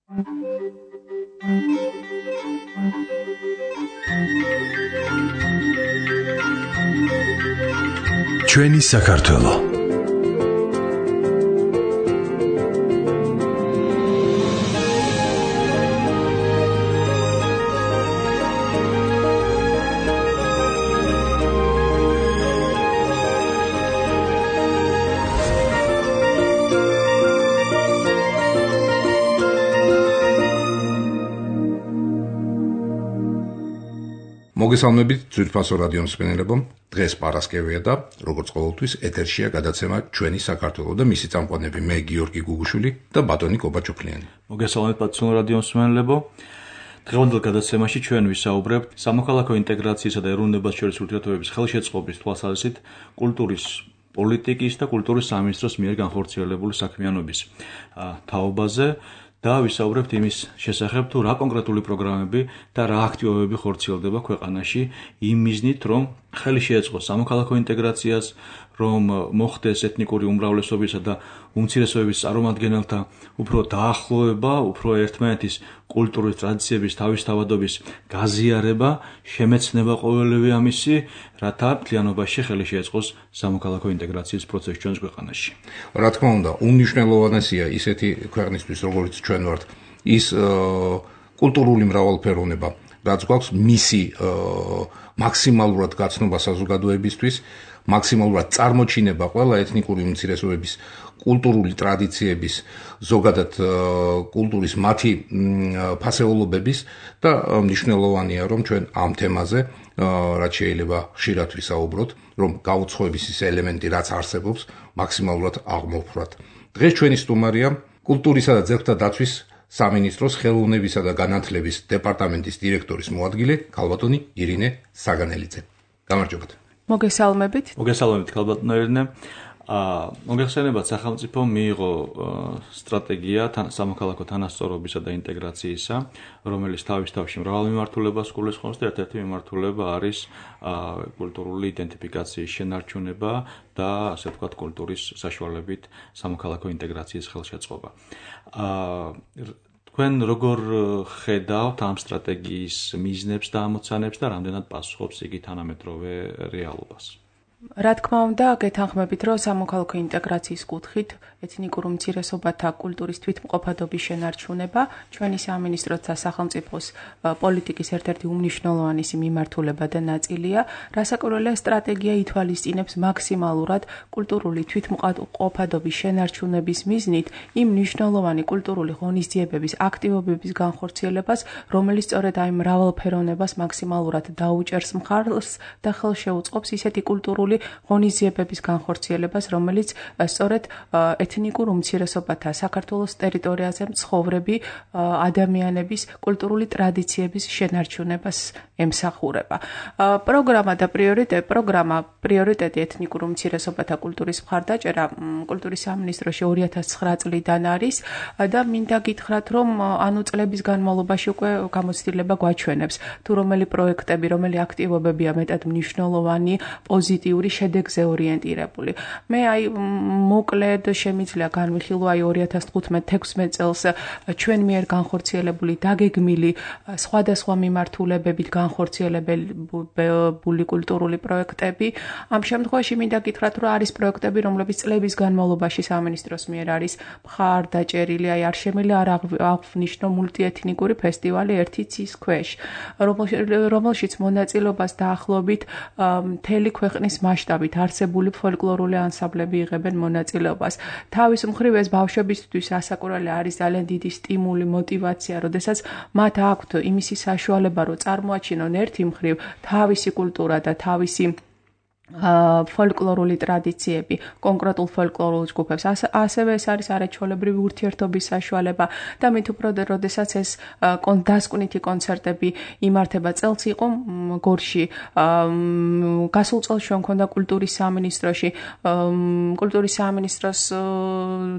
ჩვენი საქართველო მოგესალმებით ძვირფასო რადიო მსმენელებო, დღეს პარასკევია და როგორც ყოველთვის ეთერშია გადაცემა ჩვენი საქართველო და მისი წამყვანები მე გიორგი გუგუშვილი და ბატონი კობაჩოფლიანი. მოგესალმებით პატრიოტულ რადიო მსმენელებო. დღევანდელ გადაცემაში ჩვენ ვისაუბრებთ სამოქალაქო ინტეგრაციისა და ეროვნებას შორის ურთიერთობების ხელშეწყობის თვალსაზრისით კულტურის პოლიტიკის და კულტურის სამინისტროს მიერ განხორციელებული საქმიანობის თაობაზე და ვისაუბრებთ იმის შესახებ, თუ რა კონკრეტული პროგრამები და რა აქტივობები ხორციელდება ქვეყანაში იმ მიზნით, რომ ხელი შეეწყოს სამოქალაქო ინტეგრაციას, რომ მოხდეს ეთნიკური უმრავლესობისა და უმცირესობების წარმომადგენელთა უფრო დაახლოება, უფრო ერთმანეთის კულტურის ტრადიციების თავისთავადობის გაზიარება, შემეცნება ყოველივე ამისი, რათა მთლიანობაში ხელი შეეწყოს სამოქალაქო ინტეგრაციის პროცესი ჩვენს ქვეყანაში. რა თქმა უნდა, უმნიშვნელოვანესია ისეთი ქვეყნისთვის, როგორც ჩვენ ვართ, ის კულტურული მრავალფეროვნება, რაც გვაქვს მისი მაქსიმალურად გაცნობა საზოგადოებისთვის, მაქსიმალურად წარმოჩინება ყველა ეთნიკური უმცირესობების კულტურული ტრადიციების, ზოგადად კულტურის მათი ფასეულობების და მნიშვნელოვანია, რომ ჩვენ ამ თემაზე, რაც შეიძლება ხშირად ვისაუბროთ, რომ გაუცხოების ის ელემენტი, რაც არსებობს, მაქსიმალურად აღმოვფრათ. დღეს ჩვენი სტუმარია კულტურისა და ძეგლთა დაცვის სამინისტროს ხელოვნებისა და განათლების დეპარტამენტის დირექტორის მოადგილე ქალბატონი ირინე საგანელიძე. გამარჯობათ. მოგესალმებით ქალბატონო ირინე. მოგეხსენებათ, სახელმწიფომ მიიღო სტრატეგია სამოქალაქო თანასწორობისა და ინტეგრაციისა, რომელიც თავის თავში მრავალ მიმართულებას გულისხმობს და ერთ-ერთი მიმართულება არის კულტურული იდენტიფიკაციის შენარჩუნება და ასე ვთქვათ კულტურის საშუალებით სამოქალაქო ინტეგრაციის ხელშეწყობა. თქვენ როგორ ხედავთ ამ სტრატეგიის მიზნებს და ამოცანებს და რამდენად პასუხობს იგი თანამედროვე რეალობას? რა თქმა უნდა, გეთანხმებით, რომ სამოქალაქო ინტეგრაციის კუთხით ეთნიკურ უმცირესობათა კულტურის თვითმყოფადობის შენარჩუნება ჩვენი სამინისტროს და სახელმწიფოს პოლიტიკის ერთ-ერთი უმნიშვნელოვანესი მიმართულება და ნაწილია, რასაკვირველია სტრატეგია ითვალისწინებს მაქსიმალურად კულტურული თვითმყოფადობის შენარჩუნების მიზნით იმ მნიშვნელოვანი კულტურული ღონისძიებების აქტივობების განხორციელებას, რომელიც სწორედ აი მრავალფეროვნებას მაქსიმალურად დაუჭერს მხარს და ხელს შეუწყობს ისეთი კულტურული ღონისძიებების განხორციელებას, რომელიც სწორედ ეთნიკურ უმცირესობათა საქართველოს ტერიტორიაზე მცხოვრები ადამიანების კულტურული ტრადიციების შენარჩუნებას ემსახურება. პროგრამა პრიორიტეტი ეთნიკურ უმცირესობათა კულტურის მხარდაჭერა კულტურის სამინისტროში 2009 წლიდან არის და მინდა გითხრათ, რომ ანუ წლების განმავლობაში უკვე გამოცდილება გვაჩვენებს, თუ რომელი პროექტები, რომელი აქტივობებია მეტად მნიშვნელოვანი, პოზიტიური შედეგზე ორიენტირებული. მე მოკლედ შემიძლია განვიხილო 2015-16 წელს ჩვენ მიერ განხორციელებული დაგეგმილი სხვადასხვა მიმართულებებით განხორციელებული კულტურული პროექტები. ამ შემთხვევაში მინდა გითხრათ, რომ არის პროექტები, რომლებიც წლების განმავლობაში სამინისტროს მიერ არის მხარდაჭერილი, არ შემიძლია არ აღვნიშნო მულტიეთნიკური ფესტივალი ერთი ცის ქვეშ, რომელშიც მონაწილეობას დაახლოებით მთელი ქვეყნის მასშტაბით არსებული ფოლკლორული ანსამბლები იღებენ მონაწილეობას. თავის მხრივ ეს ბავშვებისთვის რასაკვირველია არის ძალიან დიდი სტიმული, мотиваცია, როდესაც მათ აქვთ იმისი საშუალება, რომ წარმოაჩინონ ერთი მხრივ თავისი კულტურა და თავისი ფოლკლორული ტრადიციები, კონკრეტულ ფოლკლორულ ჯგუფებს, ასევე ეს არის არაჩვეულებრივი ურთიერთობის საშუალება და მით უფრო როდესაც ეს დასკვნითი კონცერტები იმართება, წელს იყო გორში, გასულ წელს ჩვენ მქონდა კულტურის სამინისტროში, კულტურის სამინისტროს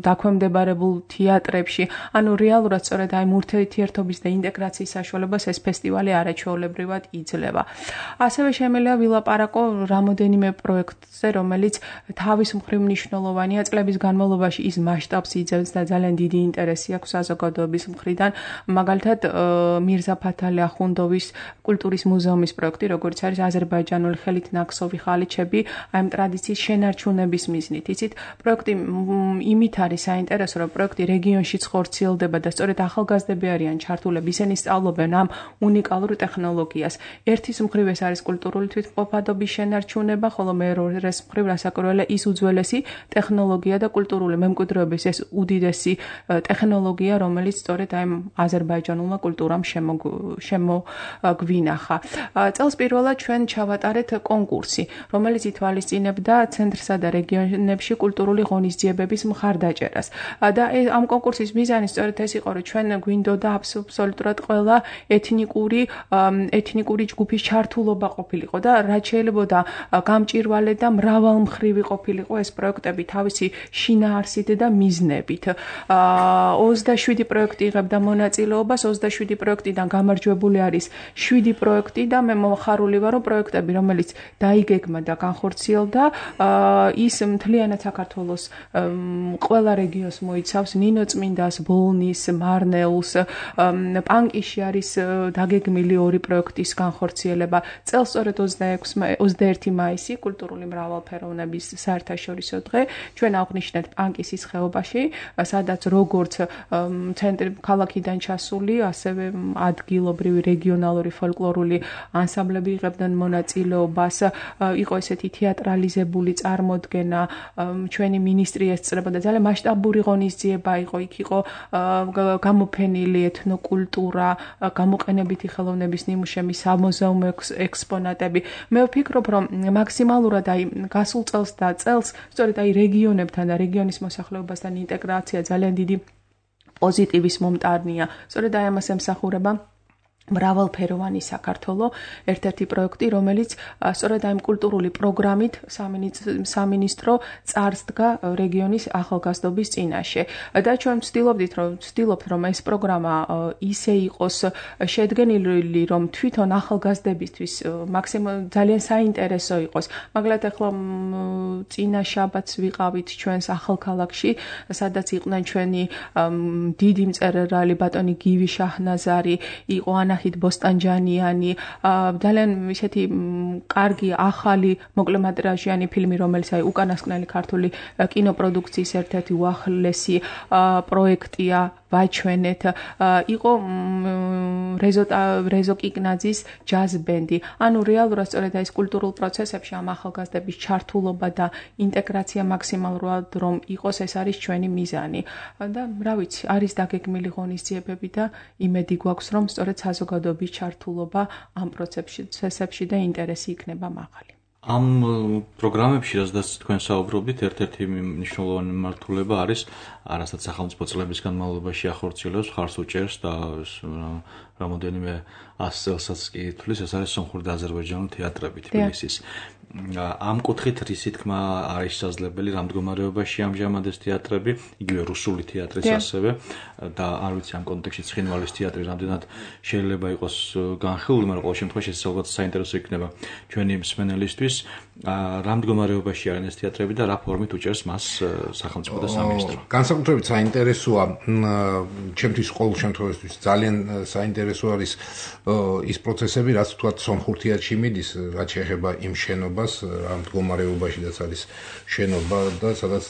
დაქვემდებარებულ თეატრებში, ანუ რეალურად სწორედ აი ურთიერთობის და ინტეგრაციის საშუალებას ეს ფესტივალი არაჩვეულებრივად იძლევა. ასევე შემიძლია ვილაპარაკო რამოდენიმე რაიმე პროექტზე, რომელიც თავის მხრივ მნიშვნელოვანია, წლების განმავლობაში ის მასშტაბს იძენს და ძალიან დიდი ინტერესი აქვს საზოგადოების მხრიდან. მაგალითად, მირზა ფათალი ახუნდოვის კულტურის მუზეუმის პროექტი, როგორც არის აზერბაიჯანული ხელით ნაკსოვი ხალიჩები, აი ამ ტრადიციის შენარჩუნების მიზნით. იცით, პროექტი იმით არის საინტერესო, რომ პროექტი რეგიონშიც ხორციელდება და სწორედ ახალგაზრდები არიან ჩართულები, ისინი სწავლობენ ამ უნიკალურ ტექნოლოგიას. ერთის მხრივ ეს არის კულტურული თვითმყოფადობის შენარჩუნება, ხოლო მეორეს მხრივ რასაკვირველია ის უძველესი ტექნოლოგია და კულტურული მემკვიდრეობის ეს უდიდესი ტექნოლოგია, რომელიც სწორედ აი აზერბაიჯანულმა კულტურამ შემოგვინახა. წელს პირველად ჩვენ ჩავატარეთ კონკურსი, რომელიც ითვალისწინებდა ცენტრსა და რეგიონებში კულტურული ღონისძიებების მხარდაჭერას. და ამ კონკურსის მიზანი სწორედ ეს იყო, რომ ჩვენ გვინდოდა აბსოლუტურად ყველა ეთნიკური ჯგუფის ჩართულობა ყოფილიყო და რაც შეიძლებოდა გამჭირვალე და მრავალმხრივი ყოფილიყო ეს პროექტები თავისი შინაარსით და მიზნებით. 27 პროექტი იღებდა მონაწილეობას, 27 პროექტიდან გამარჯვებული არის 7 პროექტი და მე მომხარული ვარ, რომ პროექტები, რომელიც დაიგეგმა და განხორციელდა, ის მთლიანად საქართველოს ყველა რეგიონს მოიცავს, ნინოწმინდას, ბოლნის, მარნეულს, პანკიში არის დაგეგმილი 2 პროექტის განხორციელება. წელს სწორედ 21 მაისი კულტურული მრავალფეროვნების საერთაშორისო დღე ჩვენ აღვნიშნეთ პანკისის ხეობაში, სადაც როგორც ცენტრი ქალაქიდან ჩასული, ასევე ადგილობრივი რეგიონალური ფოლკლორული ანსამბლები იღებდნენ მონაწილეობას, იყო ესეთი თეატრალიზებული წარმოდგენა, ჩვენი მინისტრი ესწრებოდა, ძალიან მასშტაბური ღონისძიება იყო, იქ იყო გამოფენილი ეთნოკულტურა, გამოყენებითი ხელოვნების ნიმუშები, სამუზეუმო ექსპონატები. მე ვფიქრობ, რომ მაქსიმალურად აი გასულ წელს და წელს სწორედ აი რეგიონებთან და რეგიონის მოსახლეობასთან ინტეგრაცია ძალიან დიდი პოზიტივის მომტანია. სწორედ აი ამას ემსახურება მრავალფეროვანი საქართველო, ერთ-ერთი პროექტი, რომელიც სწორედ აი კულტურული პროგრამით სამინისტრო წარსდგა რეგიონის ახალგაზრდობის წინაშე. და ჩვენ ვცდილობთ, რომ ეს პროგრამა ისე იყოს შედგენილი, რომ თვითონ ახალგაზრდებისთვის ძალიან საინტერესო იყოს. მაგალითად, ახლა წინა შაბათს ვიყავით ჩვენს ახალქალაქში, სადაც იყვნენ ჩვენი დიდი მწერალი ბატონი გივი შაჰნაზარი, იყო ანაჰით ბოსტანჯანიანი, ძალიან ისეთი კარგი ახალი მოკლემეტრაჟიანი ფილმი, რომელიც აი უკანასკნელი ქართული კინოპროდუქციის ერთ-ერთი უახლესი პროექტია, ვაჩვენეთ, იყო რეზო კიკნაძის ჯაზ ბენდი. ანუ რეალურად სწორედ ეს კულტურულ პროცესებში ამ ახალგაზრდების ჩართულობა და ინტეგრაცია მაქსიმალურად რომ იყოს, ეს არის ჩვენი მიზანი. და რა ვიცი, არის დაგეგმილი ღონისძიებები და იმედი გვაქვს, რომ სწორედ საზოგადოების ჩართულობა ამ პროცესებში და ინტერესი იქნება მაღალი. ამ პროგრამებში, რაზეც თქვენ საუბრობთ, ერთ-ერთი მნიშვნელოვანი მმართველობა არის, რასაც სახელმწიფო წლების განმავლობაში ახორციელებს, ხარს უჭერს და რამოდენიმე 100 წელსაც კი ითვლის, ეს არის სომხური და აზერბაიჯანული თეატრები თბილისის. ამ კუთხით რისი თქმა არის შესაძლებელი, რამ მდგომარეობაში ამჟამად ეს თეატრები, იგივე რუსული თეატრის ასევე და არ ვიცი ამ კონტექსტში ცხინვალის თეატრი რამდენად შეიძლება იყოს განხილული, მაგრამ ყოველ შემთხვევაში ეს ალბათ საინტერესო იქნება ჩვენი მსმენელისთვის, რამ მდგომარეობაში არიან ეს თეატრები და რა ფორმით უჭერს მას სახელმწიფო და სამინისტრო. განსაკუთრებით საინტერესოა, ჩემთვის ყოველ შემთხვევაში ძალიან საინტერესო არის ის პროცესები, რაც თქვა სომხურ თეატრში მიდის, რაც შეეხება იმ შენობას, ამ მდგომარეობაშიც არის შენობა და სადაც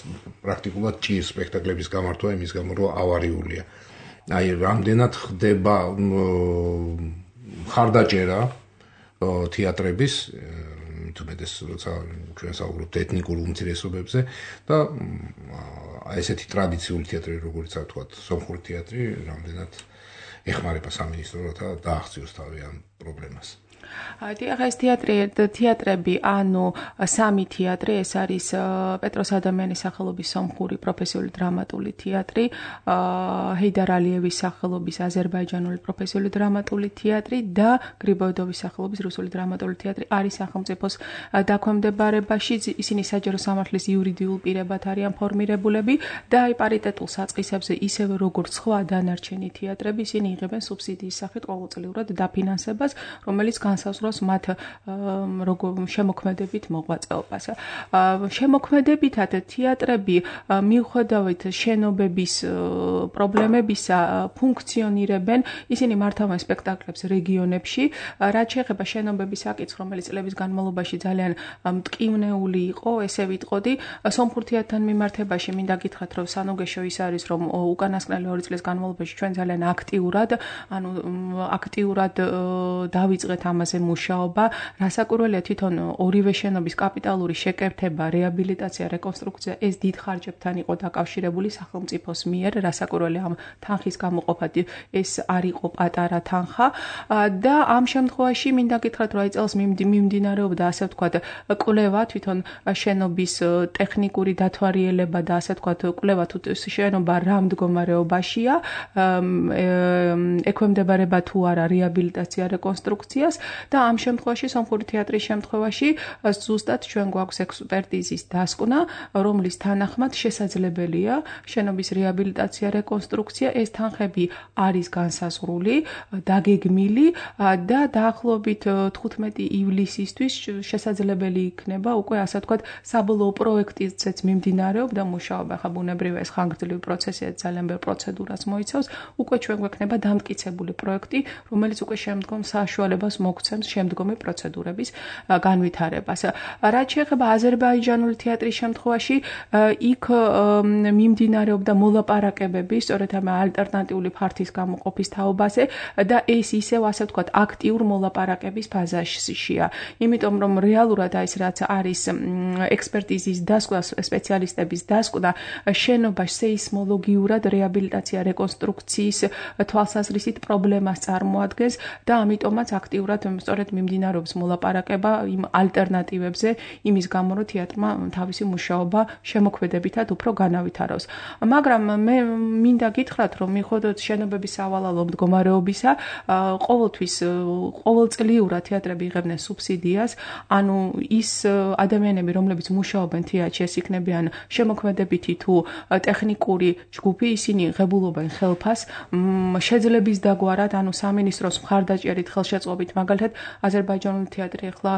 პრაქტიკულად ჭირს სპექტაკლების გამართვა იმის გამო, რომ ავარიულია. აი, რამდენად ხდება მხარდაჭერა თეატრების, თუმეტეს როცა ჩვენ საუბრობთ ეთნიკურ უმცირესობებზე და ესეთი ტრადიციული თეატრი, როგორც თქვა, სომხური თეატრი, რამდენად ეხმარება სამინისტროს და დააღწიოს თავი ამ პრობლემას. ახლა ეს თეატრები, ანუ სამი თეატრი, ეს არის პეტროს ადამიანის სახელობის სომხური პროფესიული დრამატული თეატრი, ჰეიდარ ალიევის სახელობის აზერბაიჯანული პროფესიული დრამატული თეატრი და გრიბოედოვის სახელობის რუსული დრამატული თეატრი არის სახელმწიფოს დაქვემდებარებაში. ისინი საჯარო სამართლის იურიდიულ პირებად არიან ფორმირებულები და აი პარიტეტულ საწყისებზე, ისევე როგორც სხვა დანარჩენი თეატრები, ისინი იღებენ სუბსიდიის სახით ყოველწლიურად დაფინანსებას, რომელიც განსაზღვროს მათ შემოქმედებით მოღვაწეობას. შემოქმედებითად თეატრები მიუხედავად შენობების პრობლემებისა ფუნქციონირებენ, ისინი მართავენ სპექტაკლებს რეგიონებში, რაც შეეხება შენობების საკითხს, რომელიც წლების განმავლობაში ძალიან მტკივნეული იყო, ესე ვიტყოდი, სომხურ თეატრთან მიმართებაში მინდა გითხრათ, რომ სანუგეშო ის არის, რომ უკანასკნელი 2 წლის განმავლობაში ჩვენ ძალიან აქტიურად დავიწყეთ ამაზე მუშაობა, რასაკვირველია თვითონ ორივე შენობის კაპიტალური შეკეთება, რეაბილიტაცია, რეკონსტრუქცია ეს დიდ ხარჯებთან იყო დაკავშირებული სახელმწიფოს მიერ, რასაკვირველია ამ თანხის გამოყოფად ეს არ იყო პატარა თანხა და ამ შემთხვევაში მინდა გითხრათ, რომ აი წელს მიმდინარეობდა ასე ვთქვათ კვლევა თვითონ შენობის ტექნიკური დათვალიერება და ასე ვთქვათ კვლევა თუ შენობა რა მდგომარეობაშია, ექვემდებარება თუ არა რეაბილიტაცია რეკონსტრუქციას და ამ შემთხვევაში სომხური თეატრის შემთხვევაში ზუსტად ჩვენ გვაქვს ექსპერტიზის დასკვნა, რომლის თანახმად შესაძლებელია შენობის რეაბილიტაცია რეკონსტრუქცია, ეს თანხები არის განსაზღვრული, დაგეგმილი და დაახლოებით 15 ივლისისთვის შესაძლებელი იქნება უკვე ასე ვთქვათ საბოლოო პროექტიც მიმდინარეობდა მუშაობა, ხა ბუნებრივია ეს ხანგრძლივი პროცესია, ძალიან ბევრ პროცედურას მოიცავს, უკვე ჩვენ გვექნება დამტკიცებული პროექტი, რომელიც უკვე შემდგომ საშუალებას მოგცემს შემდგომი პროცედურების განვითარებას. რაც შეეხება აზერბაიჯანული თეატრის შემთხვევაში, იქ მიმდინარეობდა მოლაპარაკებები, სწორედ ამ ალტერნატიული ფართის გამოყოფის თაობაზე და ეს ისევ ასე ვთქვათ აქტიურ მოლაპარაკების ფაზაშია. იმიტომ რომ რეალურად ეს რაც არის ექსპერტიზის დასკვნა, სპეციალისტების დასკვნა, შენობა სეისმოლოგიურად რეაბილიტაცია რეკონსტრუქციის თვალსაზრისით პრობლემას წარმოადგენს და ამიტომაც აქტიურად სწორედ მიმდინარეობს მოლაპარაკება იმ ალტერნატივებზე, იმის გამო რომ თეატრმა თავისი მუშაობა შემოქმედებითად უფრო განავითაროს. მაგრამ მე მინდა გითხრათ, რომ მიუხედავად შენობების სავალალო მდგომარეობისა, ყოველწლიურად თეატრები იღებდნენ სუბსიდიას, ანუ ის ადამიანები, რომლებიც მუშაობენ თეატრში, ეს იქნებიან შემოქმედებითი თუ ტექნიკური ჯგუფი, ისინი ღებულობენ ხელფას, შეძლების დაგვარად, ანუ სამინისტროს მხარდაჭერით, ხელშეწყობით, მაგალითად, აზერბაიჯანული თეატრი ახლა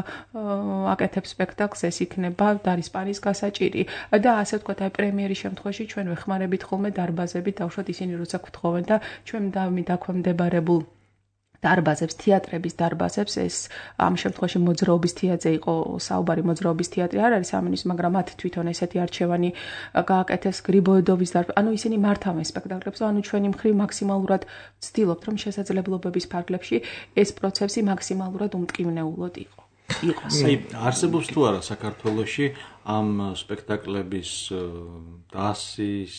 აკეთებს სპექტაკლს, ეს იქნება დარისპანის გასაჭირი და ასე ვთქვათ, აი პრემიერის შემთხვევაში ჩვენ ვეხმარებით ხოლმე დარბაზებით, დავუშვათ ისინი როცა გვთხოვენ და ჩვენ დაქვემდებარებულ დარბაზებს, თეატრების დარბაზებს, ეს ამ შემთხვევაში მოძრაობის თეატრზე იყო საუბარი, მოძრაობის თეატრი არ არის სამინისტრო, მაგრამ მათ თვითონ ესეთი არჩევანი გააკეთეს გრიბოედოვის დარბაზი. ანუ ისინი მართავენ სპექტაკლებს, ანუ ჩვენი მხრივ მაქსიმალურად ვცდილობთ, რომ შესაძლებლობების ფარგლებში ეს პროცესი მაქსიმალურად უმტკივნეულოდ იყოს. აი, არსებობს თუ არა საქართველოში ამ სპექტაკლების დასის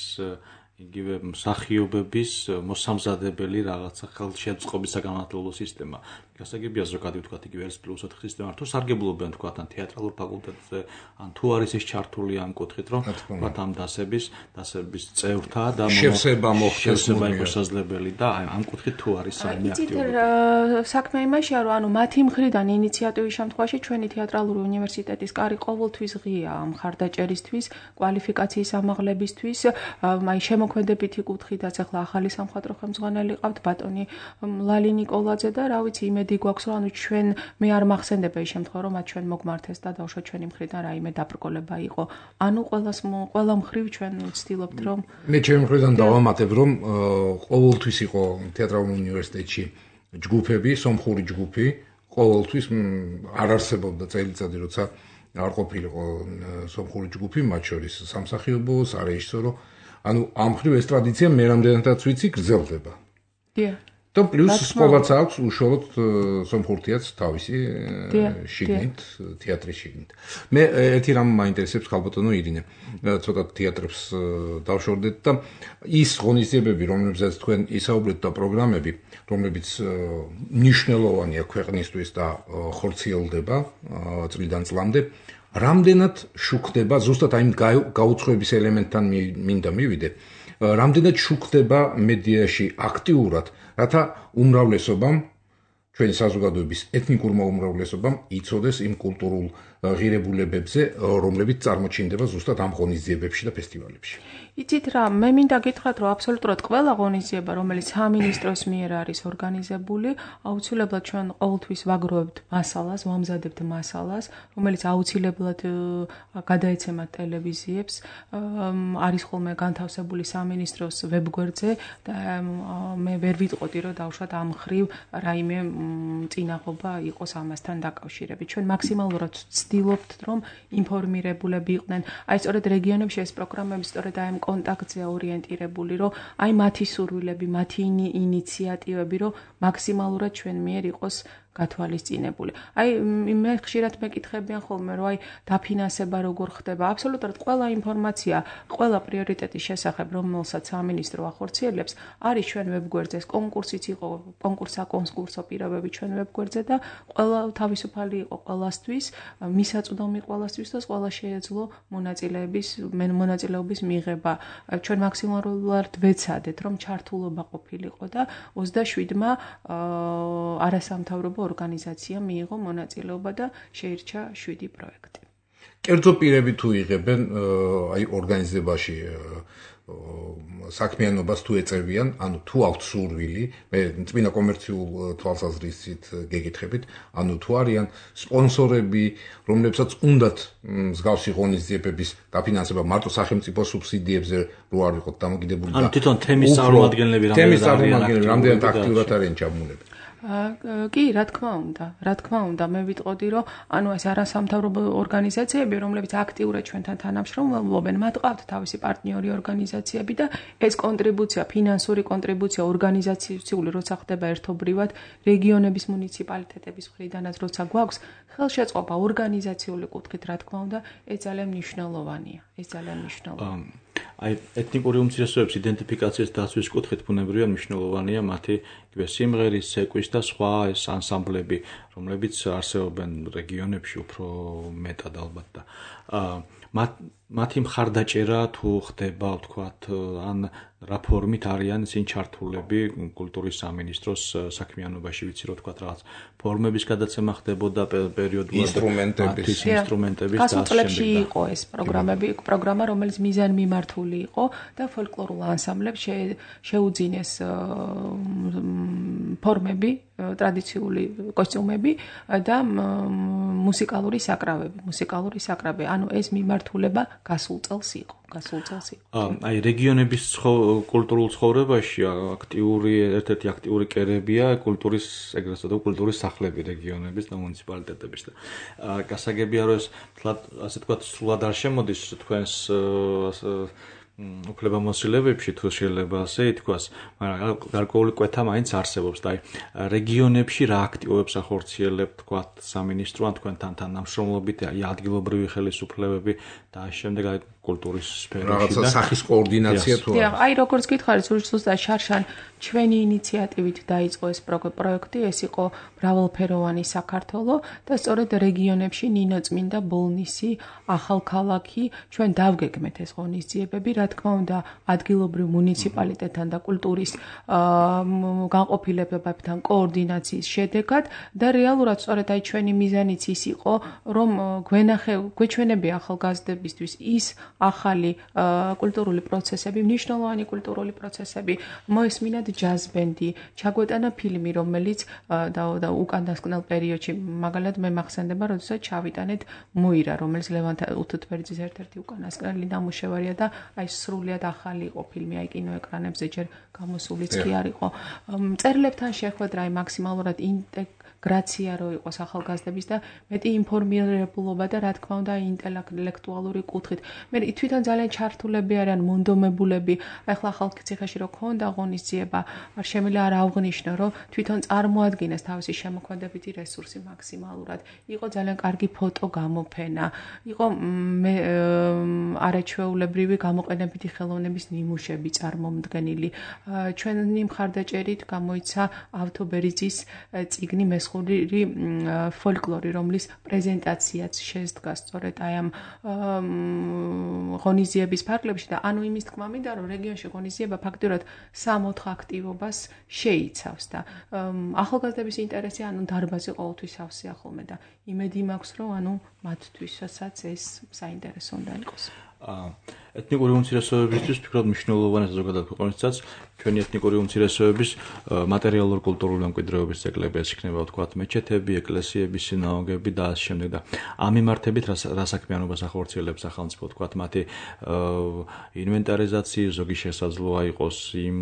იგივე მსახიობების მოსამზადებელი რაღაცა ხელშეწყობის საგანმანათლებლო სისტემა. გასაგებია ზოგადად ვთქვათ იგივე ეს +4 სისტემა, თუ სარგებლობენ ვთქვათ ან თეატრალურ ფაკულტეტზე, ან თუ არის ეს ჩართული ამ კუთხით, რომ ვთქვათ ამ დასების წევრთა და შევსება მოხდეს შესაძლებელი და ამ კუთხით თუ არის საერთო აქტიურობა. საქმე იმაშია, რომ ანუ მათი მხრიდან ინიციატივის შემთხვევაში ჩვენი თეატრალური უნივერსიტეტის კარი ყოველთვის ღია ამ ხარდაჭერისთვის, კვალიფიკაციის ამაღლებისთვის, აი შემოქმედებითი კუთხითაც ახლა ახალი სამხატვრო ხელმძღვანელი ყავთ ბატონი ლალი ნიკოლაძე და რა ვიცი იმედი გვაქვს რომ ანუ ჩვენ მე არ მახსენდება ის შემთხვევა რომ მათ ჩვენ მოგმართეს და დავუშვათ ჩვენი მხრიდან რაიმე დაბრკოლება იყო ანუ ყველა მხრივ ჩვენ ვცდილობთ რომ მე ჩემი მხრიდან დავამატებ რომ ყოველთვის იყო თეატრალურ უნივერსიტეტში ჯგუფები სომხური ჯგუფი ყოველთვის არ არსებობდა წელიწადი როცა არ ყოფილიყო სომხური ჯგუფი მათ შორის სამსახიობო სარეჟისორო ანუ ამ მხრივ ეს ტრადიცია მე რამდენადაც ვიცი გრძელდება. დიახ. და პლუს სკოლაც აქვს უშუალოდ სომხურ თეატრს თავისი შიგნით, თეატრის შიგნით. მე ერთი რამ მაინტერესებს ხალბატონო ირინე. ცოტა თეატრებს დავშორდეთ და ის ღონისძიებები, რომლებზეც თქვენ ისაუბრეთ და პროგრამები, რომლებიც მნიშვნელოვანია ქვეყნისთვის და ხორციელდება წლიდან წლამდე, რამდენად შუქდება, ზუსტად აი გაუცხოების ელემენტთან მინდა მივიდე, რამდენად შუქდება მედიაში აქტიურად, რათა უმრავლესობამ ჩვენი საზოგადოების ეთნიკურმა უმრავლესობამ იცოდეს იმ კულტურულ ღირებულებებზე, რომლებიც წარმოჩინდება ზუსტად ამ ღონისძიებებში და ფესტივალებში. იცით რა, მე მინდა გითხრათ, რომ აბსოლუტურად ყველა ღონისძიება, რომელიც სამინისტროს მიერ არის ორგანიზებული, აუცილებლად ჩვენ ყოველთვის ვაგროვებთ მასალას, ვამზადებთ მასალას, რომელიც აუცილებლად გადაეცემათ ტელევიზიებს, არის ხოლმე განთავსებული სამინისტროს ვებგვერდზე და მე ვერ ვიტყოდი, რომ დავუშვათ ამ ხრივ რაიმე წინაღობა იყოს ამასთან დაკავშირებით. ჩვენ მაქსიმალურად ვცდილობთ, რომ ინფორმირებულები იყვნენ. აი სწორედ რეგიონებში ეს პროგრამები სწორედ აი კონტაქტზე ორიენტირებული, რომ აი მათი სურვილები, მათი ინიციატივები, რომ მაქსიმალურად ჩვენ მიერ იყოს გათვალისწინებული. აი მე ხშირად მეკითხებიან ხოლმე, რომ აი დაფინანსება როგორ ხდება. აბსოლუტურად ყველა ინფორმაცია, ყველა პრიორიტეტის შესახებ, რომელსაც სამინისტრო ახორციელებს, არის ჩვენ ვებგვერდზე. კონკურსიც იყო, კონკურსო პირობები ჩვენ ვებგვერდზე და ყველა თავისუფალი იყო ყველასთვის, მისაწვდომი ყველასთვის და ყველა შეეძლო მონაწილეობის მიღება. ჩვენ მაქსიმალურად ვეცადეთ, რომ ჩართულობა ყოფილიყო და 27-მა არასამთავრობო ორგანიზაცია მიიღო მონაწილეობა და შეირჩა 7 პროექტი. კერძო პირები თუ იღებენ აი ორგანიზებაში საქმიანობას თუ ეწევიან, ანუ თუ აქვთ სურვილი, მე წინა კომერციულ თვალსაზრისით გეკითხებით, ანუ თუ არიან სპონსორები, რომლებსაც უნდათ მსგავსი ღონისძიებების დაფინანსება მარტო სახელმწიფო სუბსიდიებზე რო არ ვიყოთ დამოკიდებული და ანუ თვითონ თემის წარმომადგენლები რამდენად აქტიურად არიან ჩაბმულები. კი, რა თქმა უნდა, მე ვიტყოდი, რომ ანუ ეს არასამთავრობო ორგანიზაციები, რომლებიც აქტიურად ჩვენთან თანამშრომლობენ, მათ ყავთ თავისი პარტნიორი ორგანიზაციები და ეს კონტრიბუცია, ფინანსური კონტრიბუცია ორგანიზაციული როცა ხდება ერთობრივად, რეგიონების მუნიციპალიტეტების მხრიდანაც როცა გვაქვს, ხელშეწყობა ორგანიზაციული კუთხით, რა თქმა უნდა, ეს ძალიან მნიშვნელოვანია. აი ეთნიკური უმცირესობების იდენტიფიკაციის დაცვის კუთხით ბუნებრივია მნიშვნელოვანია მათი სიმღერის, ცეკვის და სხვა ეს ანსამბლები, რომლებიც არსებობენ რეგიონებში უფრო მეტად ალბათ და მათი მხარდაჭერა თუ ხდება, ვთქვათ, ან რა ფორმით არიან ისინი ჩართულები კულტურის სამინისტროს საქმიანობაში, ვიცი რომ ვთქვათ რაღაც ფორმების გადაცემა ხდებოდა პერიოდულად ინსტრუმენტების გასაწლებში იყო ეს პროგრამა, რომელიც მიზანმიმართული იყო და ფოლკლორულ ანსამბლებს შეუძინეს ფორმები, ტრადიციული კოსტიუმები და მუსიკალური საკრავები. ანუ ეს მიმართულება გასულ წელს იყო. აი რეგიონების კულტურულ ცხოვრებაში ერთ-ერთი აქტიური კერებია კულტურის ეგრეთ წოდებული კულტურის სახლები რეგიონების და მუნიციპალიტეტების და გასაგებია რომ ეს ასე ვთქვათ სრულად არ შემოდის თქვენს უფლებამოსილებებში თუ შეიძლება ასე ითქვას, მაგრამ გარკვეული კვეთა მაინც არსებობს და აი რეგიონებში რა აქტივობებს ახორციელებთ, თქვათ, სამინისტრო ან თქვენთან თანამშრომლობით, აი ადგილობრივი ხელისუფლებები და შემდეგ აი კულტურის სფეროში და სახის კოორდინაცია თუ არა. აი როგორც გითხარით, ზუსტად შარშან ჩვენი ინიციატივით დაიწყო ეს პროექტი, ეს იყო მრავალფეროვანი საქართველო და სწორედ რეგიონებში ნინოწმინდა, ბოლნისი, ახალქალაქი, ჩვენ დავგეგმეთ ეს ღონისძიებები, რა თქმა უნდა, ადგილობრივ მუნიციპალიტეტთან და კულტურის განყოფილებებთან კოორდინაციის შედეგად და რეალურად სწორედ აი ჩვენი მიზანიც ის იყო, რომ გვეჩვენებია ახალგაზრდებისთვის ის ახალი კულტურული პროცესები, მნიშვნელოვანი კულტურული პროცესები, მოესმინათ ჯაზ ბენდი, ჩაგვეტანა ფილმი, რომელიც და უკანასკნელ პერიოდში, მაგალითად მე მახსენდება, როდესაც ჩავიტანეთ მოირა, რომელიც ლევან უთუთბერძის ერთ-ერთი უკანასკნელი ნამუშევარია და აი სრულიად ახალი იყო ფილმი, აი კინოეკრანებზე ჯერ გამოსულიც კი არ იყო. მწერლებთან შეხვედრა, აი მაქსიმალურად ინტეგრაცია რო იყოს ახალგაზრდების და მეტი ინფორმირებულობა და რა თქმა უნდა ინტელექტუალური კუთხით. მე თვითონ ძალიან ჩართულები არიან მონდომებულები. ახლა ხალხიციხეში რო ქონდა ღონისძიება, არ შემიძლია არ ავღნიშნო, რომ თვითონ წარმოადგენს თავისი შემოქმედებითი რესურსი მაქსიმალურად. იყო ძალიან კარგი ფოტო გამოფენა, იყო არაჩვეულებრივი გამოყენებითი ხელოვნების ნიმუშები წარმომდგენილი. ჩვენი მხარდაჭერით გამოიცა ავთო ბერიძის წიგნი მესხური ხალხური ფოლკლორი, რომლის პრეზენტაციაც შედგა სწორედ აი ამ ღონისძიების ფარგლებში და ანუ იმის თქმა მინდა, რომ რეგიონში ღონისძიება ფაქტიურად 3-4 აქტივობას შეიცავს და ახალგაზრდების ინტერესი ანუ დარბაზი ყოველთვის ავსია ხოლმე და იმედი მაქვს, რომ ანუ მათთვისაც ეს საინტერესო უნდა იყოს. ეთნიკური უმცირესობებისთვის ფიქრობ მნიშვნელოვანია ზოგადად ქვეყნისაცაც ჩვენი ეთნიკური უმცირესობების მატერიალურ-კულტურული მემკვიდრეობის ძეგლები, ეს იქნება ვთქვათ მეჩეთები, ეკლესიები, სინაგოგები და ასე შემდეგ და ამ მიმართებით რა საქმიანობას ახორციელებს სახელმწიფო, ვთქვათ მათი ინვენტარიზაციის ზოგი შესაძლოა იყოს იმ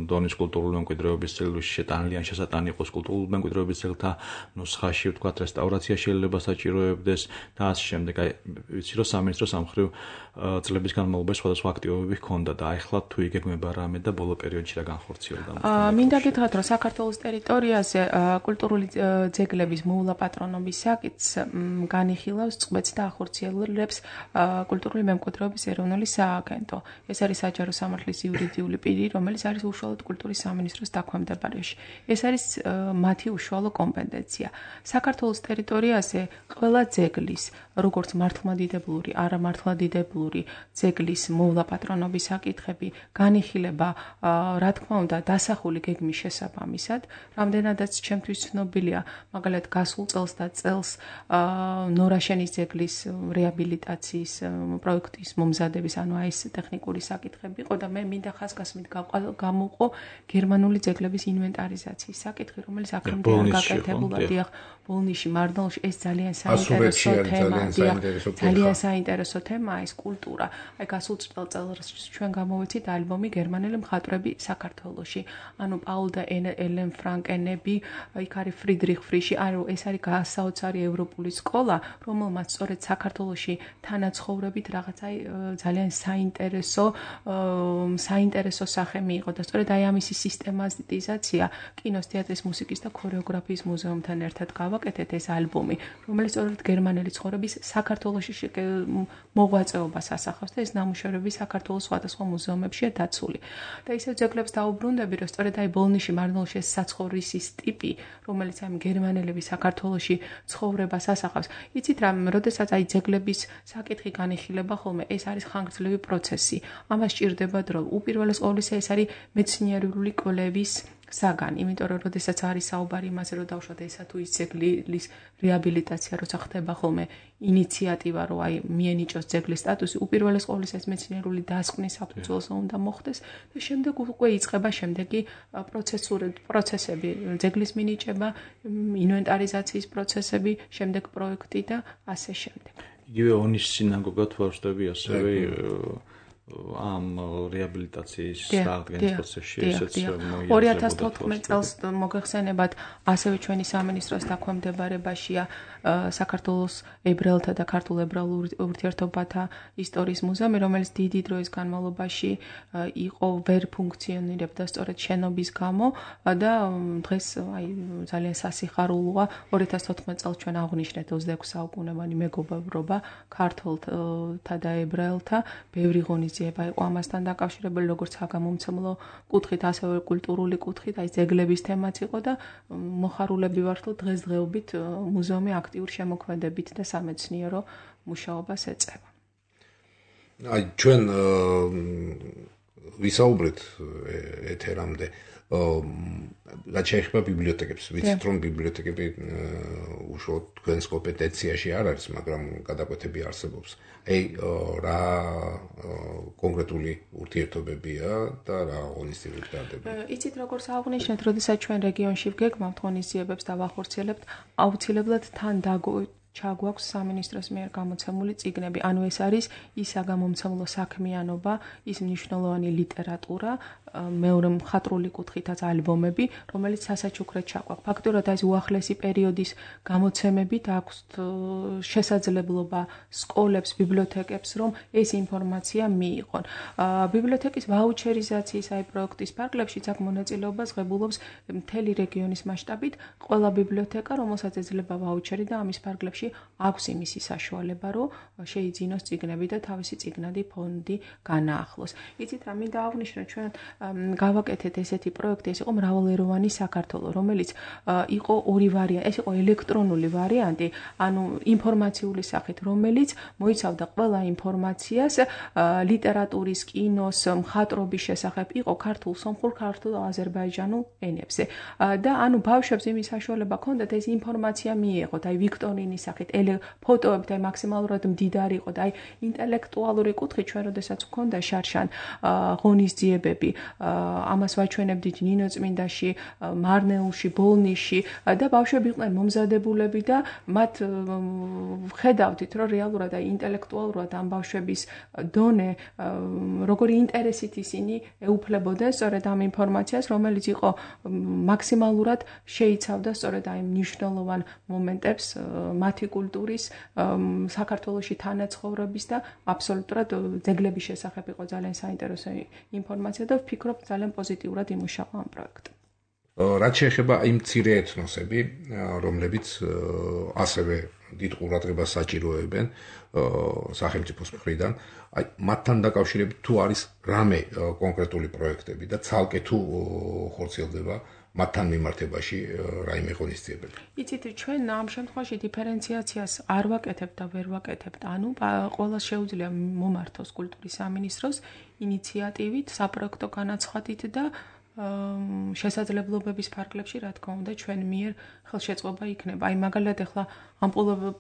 დონის კულტურული მემკვიდრეობის ძეგლებში შეტანილი ან შესატანი იყოს კულტურული მემკვიდრეობის ძეგლთა ნუსხაში, ვთქვათ რესტავრაცია შეიძლება საჭიროებდეს და ასე შემდეგ. აი ვიცი რომ სამინისტროს ამ მხრივ წლების განმავლობაში სხვადასხვა აქტივობები ჰქონდა და ახლა თუ იგეგმება რამე და ბოლო პერიოდში რა განხორციელდა? მინდა გითხრათ, რომ საქართველოს ტერიტორიაზე კულტურული ძეგლების მოვლა პატრონობის საკითხს განიხილავს, წყვეტს და ახორციელებს კულტურული მემკვიდრეობის ეროვნული სააგენტო. ეს არის საჯარო სამართლის იურიდიული პირი, რომელიც არის უშუალოდ კულტურის სამინისტროს დაქვემდებარებაში. ეს არის მათი უშუალო კომპეტენცია. საქართველოს ტერიტორიაზე ყველა ძეგლის, როგორც მართლმადიდებლური, არამართლმადიდებლური ძეგლის მოვლა პატრონობის საკითხები განიხილება, რა თქმა უნდა, დასახული გეგმის შესაბამისად, რამდენადაც ჩემთვის ცნობილია, მაგალითად, გასულ წელს და წელს ნორაშენის ძეგლის რეაბილიტაციის პროექტის მომზადების, ანუ აი ეს ტექნიკური საკითხები იყო და მე მინდა ხაზგასმით გამოვყო გერმანული ძეგლების ინვენტარიზაციის საკითხი, რომელიც აქამდე არ გაკეთებულა, დიახ, ბოლნიში, მარნოლში ეს ძალიან საინტერესო თემაა, ძალიან საინტერესო თემაა ეს კულტურა. აი გასულ წელს ჩვენ გამოვეცით ალბომი გერმანელი მხატვრები საქართველოში. ანუ პაულ და ელენ ფრანკენები, იქ არის ფრიდრიხ ფრიში, ანუ ეს არის გასაოცარი ევროპული სკოლა, რომელმაც სწორედ საქართველოში თანაცხოვრებით რაღაცა ძალიან საინტერესო სახე მიიღო და სწორედ აი ამისი სისტემატიზაცია კინოს, თეატრის, მუსიკის და ქორეოგრაფიის მუზეუმთან ერთად გავაკეთეთ ეს ალბომი, რომელიც სწორედ გერმანელი ცხოვრების საქართველოში მოღვაწეობას ასახავს და ეს ნამუშევრები საქართველოს სხვადასხვა მუზეუმებშია დაცული. და ისევ ძეგლებს დაუბრუნდები, რომ სწორედ აი ბოლნიში, მარნოლში ეს საცხოვრისის ტიპი, რომელიც აი გერმანელების საქართველოში ცხოვრებას ასახავს. იცით რა, როდესაც აი ძეგლების საკითხი განიხილება ხოლმე, ეს არის ხანგრძლივი პროცესი. ამას სჭირდება დრო. უპირველეს ყოვლისა ეს არის მეცნიერული კვლევის საგანი, იმიტომ რომ როდესაც არის საუბარი იმაზე, რომ დავუშვათ ესა თუ ის ძეგლის რეაბილიტაცია, როცა ხდება ხოლმე ინიციატივა, რომ აი მიენიჭოს ძეგლის სტატუსი, უპირველეს ყოვლისა ეს მეცნიერული დასკვნის საფუძველზე უნდა მოხდეს და შემდეგ უკვე იწყება შემდეგი პროცესები, ძეგლის მინიჭება, ინვენტარიზაციის პროცესები, შემდეგ პროექტი და ასე შემდეგ. იგივე ონის სინაგოგა თუ არ ვშტები ასევე ამ რეაბილიტაციის აღდგენის პროცესში ესეც 2014 წელს მოგეხსენებათ ასევე ჩვენი სამინისტროს დაქვემდებარებაშია საქართველოს ებრაელთა და ქართულ ებრაულ ურთიერთობათა ისტორიის მუზეუმი, რომელიც დიდი დროის განმავლობაში იყო ვერ ფუნქციონირებდა სწორედ შენობის გამო და დღეს აი ძალიან სასიხარულოა 2014 წელს ჩვენ აღვნიშნეთ 26 საუკუნოვანი მეგობრობა ქართულთა და ებრაელთა, ბევრი ღონისძიება იყო ამასთან დაკავშირებული, როგორც საგამომცემლო კუთხით, ასევე კულტურული კუთხით, აი ძეგლების თემაც იყო და მოხარულები ვართ, რომ დღესდღეობით მუზეუმი აქტიურ შემოქმედებით და სამეცნიერო მუშაობას ეწევა. აი ჩვენ ვისაუბრეთ ეთერამდე რაც შეეხება ბიბლიოთეკებს, ვიცით რომ ბიბლიოთეკები უშუალოდ თქვენს კომპეტენციაში არ არის, მაგრამ გადაკვეთები არსებობს. აი რა კონკრეტული ურთიერთობებია და რა ღონისძიებები ტარდება? იცით როგორც აღვნიშნეთ, როდესაც ჩვენ რეგიონში ვგეგმავთ ღონისძიებებს და ვახორციელებთ, აუცილებლად თან ჩაგვაქვს სამინისტროს მიერ გამოცემული წიგნები. ანუ ეს არის ის საგამომცემლო საქმიანობა, ის მნიშვნელოვანი ლიტერატურა, მეორე მხატვრული კუთხითაც ალბომები, რომელიც სასაჩუქრად ჩაგვაქვს. ფაქტურად ეს უახლესი პერიოდის გამოცემებით აქვს შესაძლებლობა სკოლებს, ბიბლიოთეკებს, რომ ეს ინფორმაცია მიიღონ. ბიბლიოთეკის ვაუჩერიზაციის აი პროექტის ფარგლებშიც აქ მონაწილეობას ღებულობს მთელი რეგიონის მასშტაბით ყველა ბიბლიოთეკა, რომელსაც ეძლება ვაუჩერი და ამის ფარგლებში შემთხვევაში აქვს იმისი საშუალება, რომ შეიძინოს წიგნები და თავისი წიგნადი ფონდი განაახლოს. იცით რა, მინდა აღვნიშნო, ჩვენ გავაკეთეთ ესეთი პროექტი, ეს იყო მრავალეროვანი საქართველო, რომელიც იყო ორი ვარიანტი, ეს იყო ელექტრონული ვარიანტი, ანუ ინფორმაციული სახით, რომელიც მოიცავდა ყველა ინფორმაციას ლიტერატურის, კინოს, მხატვრობის შესახებ, იყო ქართულ, სომხურ, ქართულ, აზერბაიჯანულ ენებზე. და ანუ ბავშვებს იმის საშუალება ჰქონდათ ეს ინფორმაცია მიიღოთ, აი ვიქტორინის სახით, ფოტოებით, აი მაქსიმალურად მდიდარი იყო და აი ინტელექტუალური კუთხით ჩვენ როდესაც გვქონდა შარშან ღონისძიებები, ამას ვაჩვენებდით ნინოწმინდაში, მარნეულში, ბოლნიში და ბავშვები იყვნენ მომზადებულები და მათ ხედავდით, რომ რეალურად აი ინტელექტუალურად ამ ბავშვების დონე როგორი ინტერესით ისინი ეუფლებოდნენ სწორედ ამ ინფორმაციას, რომელიც იყო მაქსიმალურად შეიცავდა სწორედ აი მნიშვნელოვან მომენტებს მათი კულტურის, საქართველოში თანაცხოვრების და აბსოლუტურად ძეგლების შესახებ იყო ძალიან საინტერესო ინფორმაცია და ვფიქრობ ძალიან პოზიტიურად იმუშავა ამ პროექტი. რაც შეეხება იმ მცირე ეთნოსები, რომლებიც ასევე დიდ ყურადღებას საჭიროებენ სახელმწიფოს მხრიდან, აი მათთან დაკავშირებით თუ არის რამე კონკრეტული პროექტები და ცალკე თუ ხორციელდება მათთან მიმართებაში რაიმე ღონისძიებები. იცით, ჩვენ ამ შემთხვევაში დიფერენციაციას არ ვაკეთებთ და ვერ ვაკეთებთ. ანუ ყველას შეუძლია მომართოს კულტურის სამინისტროს ინიციატივით, საპროექტო განაცხადით და შესაძლებლობების ფარგლებში, რა თქმა უნდა, ჩვენ მიერ ხელშეწყობა იქნება. აი მაგალითად ახლა ამ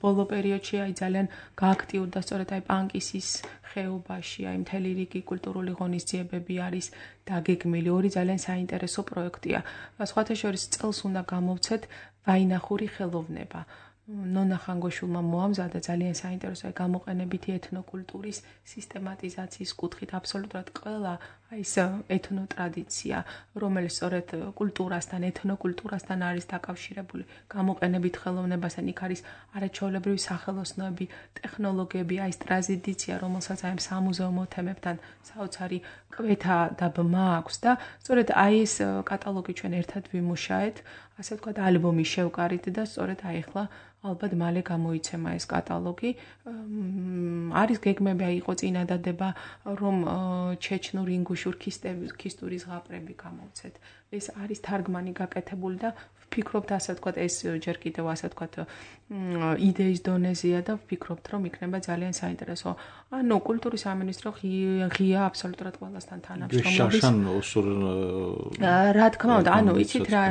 ბოლო პერიოდში აი ძალიან გააქტიურდა სწორედ აი პანკისის ხეობაში, აი მთელი რიგი კულტურული ღონისძიებები არის დაგეგმილი, ორი ძალიან საინტერესო პროექტია. სხვათა შორის წელს უნდა გამოვცეთ ვაინახური ხელოვნება. ნონა ხანგოშულმა მოამზადა ძალიან საინტერესო აი გამოყენებითი ეთნოკულტურის სისტემატიზაციის კუთხით აბსოლუტურად ყველა აი ეს ეთნოტრადიცია, რომელიც სწორედ კულტურასთან, ეთნოკულტურასთან არის დაკავშირებული, გამოყენებით ხელოვნებასთან, იქ არის არაჩვეულებრივი სახელოსნოები, ტექნოლოგიები, აი ეს ტრადიცია, რომელსაც აი სამუზეუმო თემებთან საოცარი კვეთა და ბმა აქვს და სწორედ აი ეს კატალოგი ჩვენ ერთად ვიმუშაეთ, ასე ვთქვათ, ალბომი შევკარით და სწორედ აი ახლა ალბათ მალე გამოიცემა ეს კატალოგი. არის გეგმები, აი იყო წინადადება, რომ ჩეჩნურ, ინგუშურ, ქისტური ზღაპრები გამოვცეთ. ეს არის თარგმანი გაკეთებული და ვფიქრობთ, ასე ვთქვათ, ეს ჯერ კიდევ ასე ვთქვათ, იდეის დონეზეა და ვფიქრობთ, რომ იქნება ძალიან საინტერესო. ანუ კულტურის სამინისტრო ღია აბსოლუტურად ყველასთან თანამშრომლობის. რა თქმა უნდა, ანუ იცით რა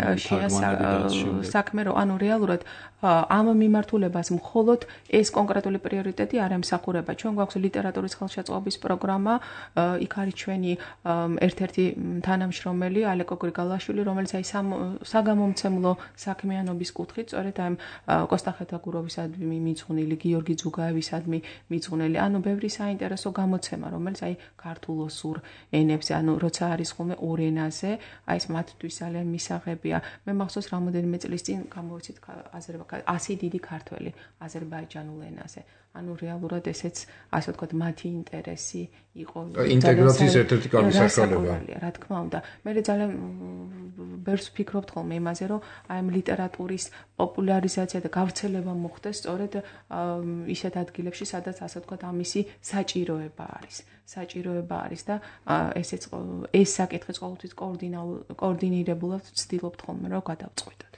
საქმე, რომ ანუ რეალურად ამ მიმართულებას მხოლოდ ეს კონკრეტული პრიორიტეტი არ ემსახურება. ჩვენ გვაქვს ლიტერატურის ხელშეწყობის პროგრამა, იქ არის ჩვენი ერთ-ერთი თანამშრომელი ალეკო გრიგალაშვილი, რომელიც აი საგამომცემლო საქმიანობის კუთხით, სწორედ აი კოსტა ხეთაგუროვისადმი მიძღვნილი, გიორგი ძუგაევისადმი მიძღვნილი, ანუ ბევრი საინტერესო გამოცემა, რომელიც აი ქართულ ოსურ ენებზე, ანუ როცა არის ხოლმე ორ ენაზე, აი ეს მათთვის ძალიან მისაღებია. მე მახსოვს რამოდენიმე წლის წინ გამოვიცით 100 დიდი ქართველი აზერბაიჯანულ ენაზე. ანუ რეალურად ესეც, ასე ვთქვათ, მათი ინტერესი იყო ინტეგრაციის ერთ-ერთი კარგი საშუალება. რა თქმა უნდა, მე ძალიან ბევრს ვფიქრობთ ხოლმე იმაზე, რომ აი ამ ლიტერატურის პოპულარიზაცია და გავრცელება მოხდეს სწორედ ისეთ ადგილებში, სადაც ასე ვთქვათ, ამისი საჭიროება არის და ეს საკითხიც ყოველთვის კოორდინირებულად ვცდილობთ ხოლმე, რომ გადავწყვიტოთ.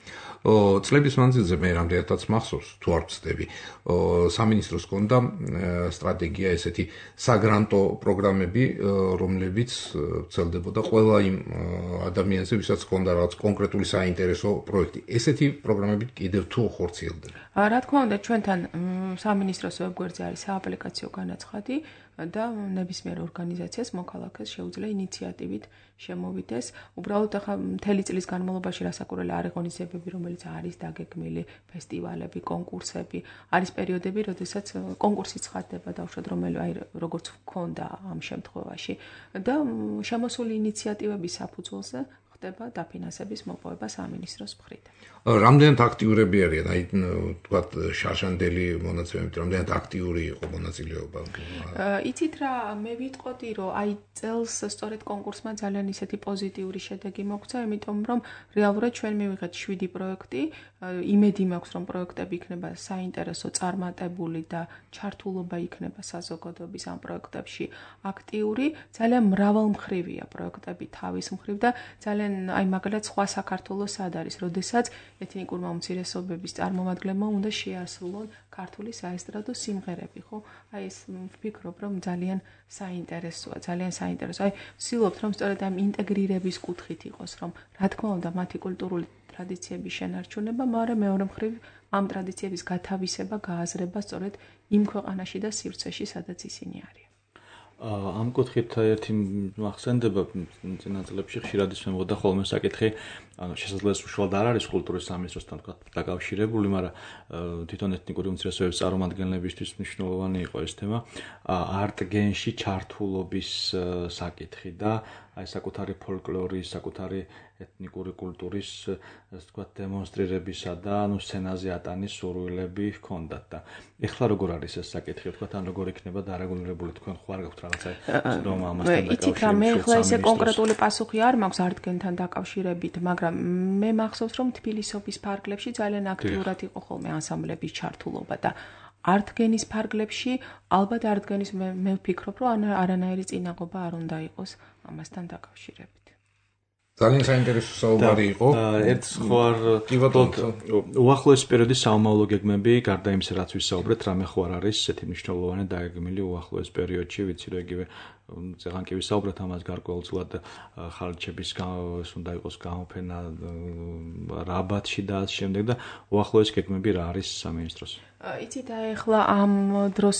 წლების მანძილზე მე რამდენადაც მახსოვს, თუ არ ვცდები, სამინისტროს ჰქონდა სტრატეგია ესეთი საგრანტო პროგრამები, რომლებიც ვრცელდებოდა ყველა იმ ადამიანზე, ვისაც ჰქონდა რაღაც კონკრეტული საინტერესო პროექტი. ესეთი პროგრამები კიდევ თუ ხორციელდება? რა თქმა უნდა, ჩვენთან სამინისტროს ვებგვერდზე არის სააპლიკაციო განაცხადი და ნებისმიერ ორგანიზაციას მოქალაქეს შეუძლია ინიციატივით შემოვიდეს. უბრალოდ ახლა მთელი წლის განმავლობაში რასაკურველი არის ღონისძიებები, რომელიც არის დაგეგმილი, ფესტივალები, კონკურსები, არის პერიოდები, როდესაც კონკურსი ცხადდება დაუშვათ, აი როგორც გქონდა ამ შემთხვევაში და შემოსული ინიციატივების საფუძველზე ხდება დაფინანსების მოპოვება სამინისტროს მხრიდან. რამდენად აქტიურები არიან, აი თქვათ შარშანდელი მონაცემებით, რამდენად აქტიური იყო მონაწილეობა? იცით რა, მე ვიტყოდი, რომ აი წელს სწორედ კონკურსმა ძალიან ისეთი პოზიტიური შედეგი მოგცა, იმიტომ რომ რეალურად ჩვენ მივიღეთ 7 პროექტი, იმედი მაქვს, რომ პროექტები იქნება საინტერესო, წარმატებული და ჩართულობა იქნება საზოგადოების ამ პროექტებში აქტიური, ძალიან მრავალმხრივია პროექტები თავის მხრივ და ძალიან აი მაგალითად სხვა საქართველოს სად არის, როდესაც ეთნიკურმა უმცირესობების წარმომადგენლებმა უნდა შეასრულონ ქართული საესტრადო სიმღერები, ხო? აი ეს ვფიქრობ, რომ ძალიან საინტერესოა, ძალიან საინტერესო. აი ვცდილობთ, რომ სწორედ ამ ინტეგრირების კუთხით იყოს, რომ რა თქმა უნდა მათი კულტურული ტრადიციების შენარჩუნება, მაგრამ მეორე მხრივ ამ ტრადიციების გათავისება, გააზრება სწორედ იმ ქვეყანაში და სივრცეში, სადაც ისინი არიან. ამ კუთხით ერთი მახსენდება წინა წლებში ხშირად ისმებოდა ხოლმე საკითხი, ანუ შესაძლოა უშუალოდ არ არის კულტურის სამინისტროსთან თქვა დაკავშირებული, მაგრამ თვითონ ეთნიკური უმცირესობების წარმომადგენლებისთვის მნიშვნელოვანი იყო ეს თემა, არტ-გენში ჩართულობის საკითხი და აი საკუთარი ფოლკლორის, საკუთარი ეთნიკური კულტურის, ასე ვთქვათ, დემონსტრირებისა და ანუ სცენაზე ატანის სურვილები ჰქონდათ და ეხლა როგორ არის ეს საკითხი, ვთქვათ, ან როგორ იქნება დარეგულირებული, თქვენ ხო არ გაქვთ რაღაცა რომ ამასთან დაკავშირებით? იცით რა, მე ეხლა ესე კონკრეტული პასუხი არ მაქვს არტ-გენთან დაკავშირებით, მაგრამ მე მახსოვს, რომ თბილისობის ფარგლებში ძალიან აქტიურად იყო ხოლმე ანსამბლების ჩართულობა და არტ-გენის ფარგლებში ალბათ არტ-გენის მე ვფიქრობ, რომ არანაირი წინაღობა არ უნდა იყოს ამასთან დაკავშირებით. ძალიან საინტერესო საუბარი იყო. ერთ ხო არ უახლოეს პერიოდის საომავლო გეგმები, გარდა იმისა, რაც ვისაუბრეთ, რამე ხო არ არის ესეთი მნიშვნელოვანი დაგეგმილი უახლოეს პერიოდში, ვიცი რომ იგივე წეგან კი ვისაუბრეთ ამას გარკვეულწილად ხალხების ეს უნდა იყოს გამოფენა რაბათში და ამ შემდეგ და უახლოეს გეგმები რა არის სამინისტროს? იცით, ახლა ამ დროს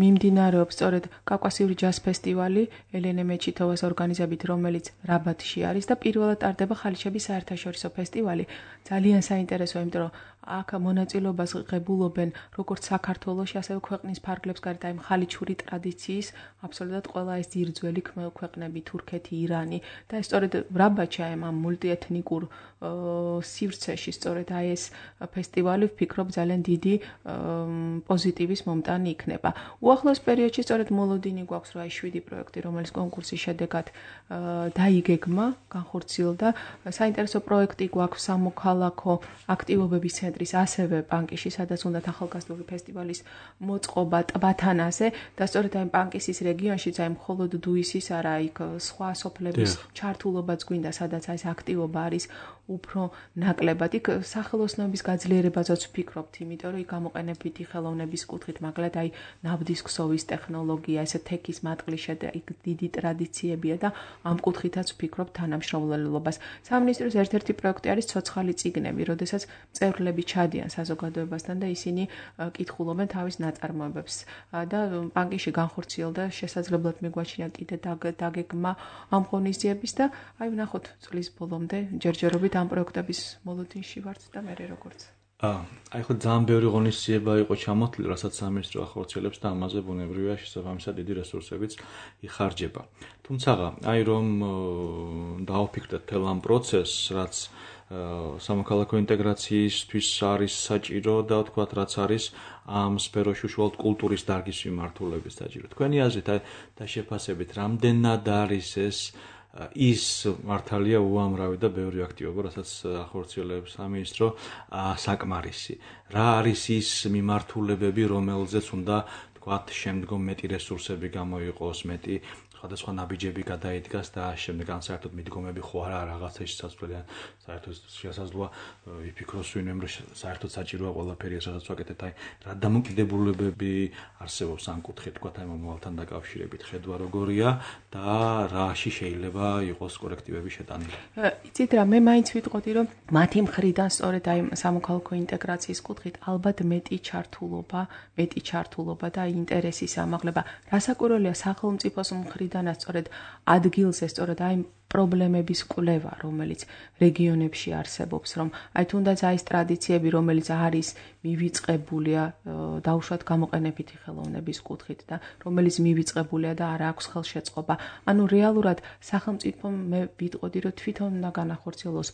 მიმდინარეობს სწორედ კავკასიური ჯაზ ფესტივალი ელენე მეჩითოვას ორგანიზებით, რომელიც რაბათში არის და პირველად ტარდება ხალიჩების საერთაშორისო ფესტივალი. ძალიან საინტერესოა, იმიტომ რომ აქ მონაწილეობას ღებულობენ როგორც საქართველოში, ასევე ქვეყნის ფარგლებს გარეთ აი ხალიჩური ტრადიციის აბსოლუტურად ყველა ეს ძირძველი ქვეყნები, თურქეთი, ირანი და სწორედ რაბათში აი ამ მულტიეთნიკურ სივრცეში სწორედ აი ეს ფესტივალი ვფიქრობ ძალიან დიდი პოზიტივის მომტანი იქნება. უახლოეს პერიოდში სწორედ მოლოდინი გვაქვს, რომ აი 7 პროექტი, რომელიც კონკურსის შედეგად დაიგეგმა, განხორციელდა. საინტერესო პროექტი გვაქვს სამოქალაქო აქტივობების ცენტრის, ასევე პანკიში, სადაც უნდათ ახალგაზრდული ფესტივალის მოწყობა ტბათანაზე და სწორედ აი პანკისის რეგიონშიც აი მხოლოდ დუისის არა, იქ სხვა სოფლების ჩართულობაც გვინდა, სადაც აი ეს აქტივობა არის უფრო ნაკლებად. იქ სახელოსნოების გაძლიერებაზეც ვფიქრობთ, იმიტომ რომ იქ გამოყენებითი ხელოვნების კუთხით, მაგალითად აი ნავდის ქსოვის ტექნოლოგია, ესე თექის მატყლიშე და იქ დიდი ტრადიციებია და ამ კუთხითაც ვფიქრობ თანამშრომლობას. სამინისტროს ერთ-ერთი პროექტი არის ცოცხალი წიგნები, როდესაც მწერლები ჩადიან საზოგადოებასთან და ისინი კითხულობენ თავის ნაწარმოებებს და პანკიში განხორციელდა შესაძლებლად მიგვაჩნია კიდე დაგეგმა ამ ღონისძიების და აი ვნახოთ წლის ბოლომდე ჯერჯერობით ამ პროექტების მოლოდინში ვართ და მე როგორც აი ხო ძალიან ბევრი ღონისძიება იყო ჩამოთვლილი, რასაც სამინისტრო ახორციელებს და ამაზე ბუნებრივია შესაბამისად დიდი რესურსებიც იხარჯება. თუმცა აი რომ დავფიქრდეთ თელ ამ პროცესს, რაც სამოქალაქო ინტეგრაციისთვის არის საჭირო და თქვათ რაც არის ამ სფეროში უშუალოდ კულტურის დარგის მიმართულების საჭირო. თქვენი აზრით აი და შეფასებით რამდენად არის ეს ის მართალია უამრავი და ბევრი აქტივობა, რასაც ახორციელებს სამინისტრო საკმარისი. რა არის ის მიმართულებები, რომელზეც უნდა თქვათ შემდგომ მეტი რესურსები გამოიყოს, მეტი სხვადასხვა ნაბიჯები გადაიდგას და შემდეგ ან საერთოდ მიდგომები ხო არა რაღაცა შესაძლებელია, საერთოდ შესაძლოა ვიფიქროს ვინმემ რომ საერთოდ საჭიროა ყველაფერი ეს რასაც ვაკეთებთ, აი რა დამოკიდებულებები არსებობს ამ კუთხით, თქვათ აი მომავალთან დაკავშირებით, ხედვა როგორია და რაში შეიძლება იყოს კორექტივები შეტანილი. იცით რა, მე მაინც ვიტყოდი რომ მათი მხრიდან სწორედ აი სამოქალაქო ინტეგრაციის კუთხით ალბათ მეტი ჩართულობა და ინტერესის ამაღლება. რასაკვირველია სახელმწიფოს მხრიდან სწორედ ადგილზე სწორედ აი პრობლემების კვლევა, რომელიც რეგიონებში არსებობს, რომ აი თუნდაც აი ეს ტრადიციები, რომელიც არის მივიწყებულია დაუშვათ გამოყენებითი ხელოვნების კუთხით და რომელიც მივიწყებულია და არ აქვს ხელშეწყობა. ანუ რეალურად სახელმწიფომ მე ვიტყოდი, რომ თვითონ უნდა განახორციელოს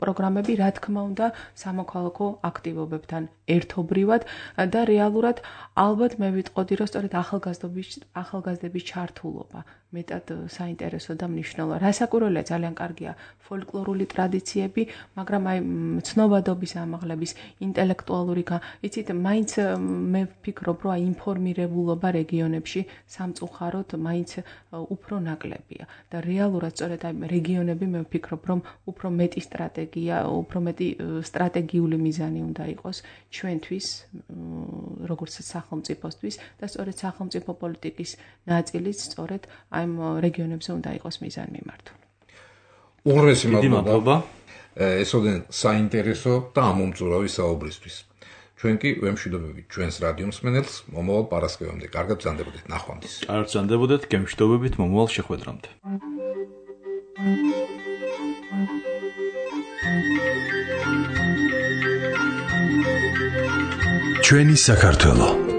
პროგრამები, რა თქმა უნდა, სამოქალაქო აქტივობებთან ერთობრივად და რეალურად ალბათ მე ვიტყოდი, რომ სწორედ ახალგაზრდების ჩართულობა მეტად საინტერესო და მნიშვნელოვანი. რასაკვირველია, ძალიან კარგია ფოლკლორული ტრადიციები, მაგრამ აი ცნობადობის ამაღლების, ინტელექტუალური, იცით, მაინც მე ვფიქრობ, რომ აი ინფორმირებულობა რეგიონებში სამწუხაროდ მაინც უფრო ნაკლებია და რეალურად სწორედ აი რეგიონები მე ვფიქრობ, რომ უფრო მეტი სტრატეგიული მიზანი უნდა იყოს ჩვენთვის, როგორც სახელმწიფოსთვის და სწორედ სახელმწიფო პოლიტიკის ნაწილიც სწორედ აი რეგიონებზე უნდა იყოს მიზანი მიმართული. უღრმესი მადლობა. ესოდენ საინტერესო და ამომწურავი საუბრისთვის. ჩვენ კი ვემშვიდობებით ჩვენს რადიო მსმენელს მომავალ პარასკევამდე. კარგად ბრძანდებოდეთ, ნახვამდის. კარგად ბრძანდებოდეთ, გემშვიდობებით მომავალ შეხვედრამდე. ჩვენი საქართველო